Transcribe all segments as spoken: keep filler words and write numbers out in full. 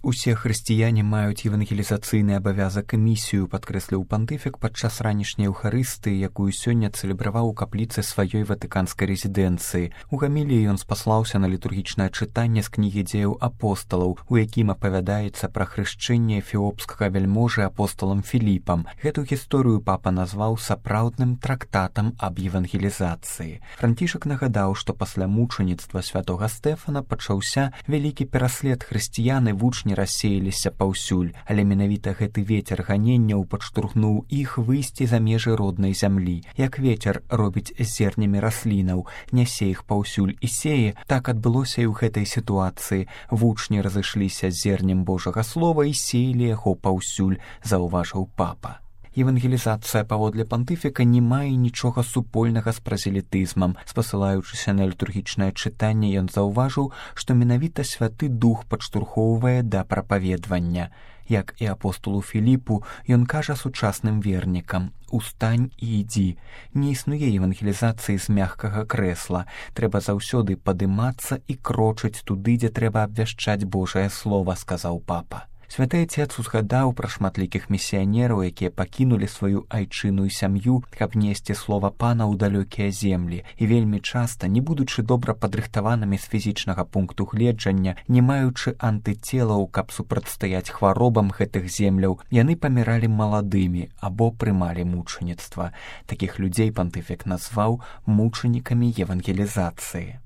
Усе хрысціяне маюць евангелізацыйны абавязак і місію, падкрэсліў пантыфік падчас ранішняй еўхарыстыі, якую сёння цэлебраваў у капліцы сваёй ватыканскай рэзідэнцыі. У гаміліі ён спаслаўся на літургічнае чытанне з кнігі дзеяў апосталаў, у якім апавядаецца пра хрышчэнне эфіопскага вяльможы апосталам Філіпам. Гэту гісторыю папа назваў сапраўдным трактатам аб евангелізацыі. Францішак нагадаў, што пасля мучаніцтва святога Стэфана пачаўся вялікі пераслед хрысціян і вучні рассеяліся паўсюль, але менавіта гэты вецер ганенняў падштурхнуў іх выйсці за межы роднай зямлі. Як вецер робіць з зернямі раслінаў, нясе іх паўсюль і сее, так адбылося і ў гэтай сітуацыі. Вучні разышліся з зернем Божага слова і сеялі яго паўсюль, заўважыў папа. Евангелізацыя, паводле пантыфіка, не мае нічога супольнага з празелітызмам. Спасылаючыся на літургічнае чытанне, ён заўважыў, што менавіта святы дух падштурхоўвае да прапаведвання. Як і апостолу Філіпу, ён кажа сучасным вернікам: «Устань і ідзі». Не існуе евангелізацыі з мягкага крэсла. Трэба заўсёды падымацца і крочыць туды, дзе трэба абвяшчаць Божае слова, сказаў папа. Святы Отец узгадаў пра шматлікіх місіянераў, якія пакінулі сваю айчыну і сям'ю, каб несці слова Пана ў далёкія землі. І вельмі часта, не будучы добра падрыхтаванымі з фізічнага пункту гледжання, не маючы антыцелаў, каб супрацьстаяць хваробам гэтых земляў, яны паміралі маладымі або прымалі мучаніцтва. Такіх людзей пантыфік назваў мучанікамі евангелізацыі.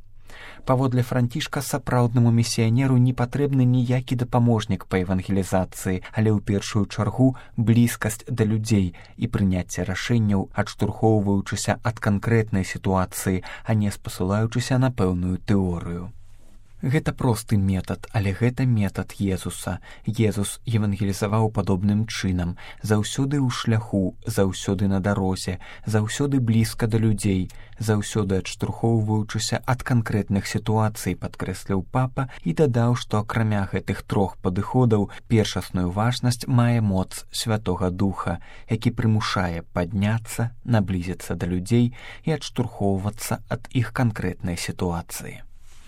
Паводле Францішка, сапраўднаму місіянеру не патрэбны ніякі дапаможнік па евангелізацыі, але ў першую чаргу блізкасць да людзей і прыняцце рашэнняў, адштурхоўваючыся ад канкрэтнай сітуацыі, а не спасылаючыся на пэўную тэорыю. Гэта просты метад, але гэта метад Езуса. Езус евангелізаваў падобным чынам, заўсёды ў шляху, заўсёды на дарозе, заўсёды блізка да людзей, заўсёды адштурхоўваючыся ад канкрэтных сітуацый, падкрэсліў папа і дадаў, што акрамя гэтых трох падыходаў першасную важнасць мае моц Святога Духа, які прымушае падняцца, наблізіцца да людзей і адштурхоўвацца ад іх канкрэтнай сітуацыі.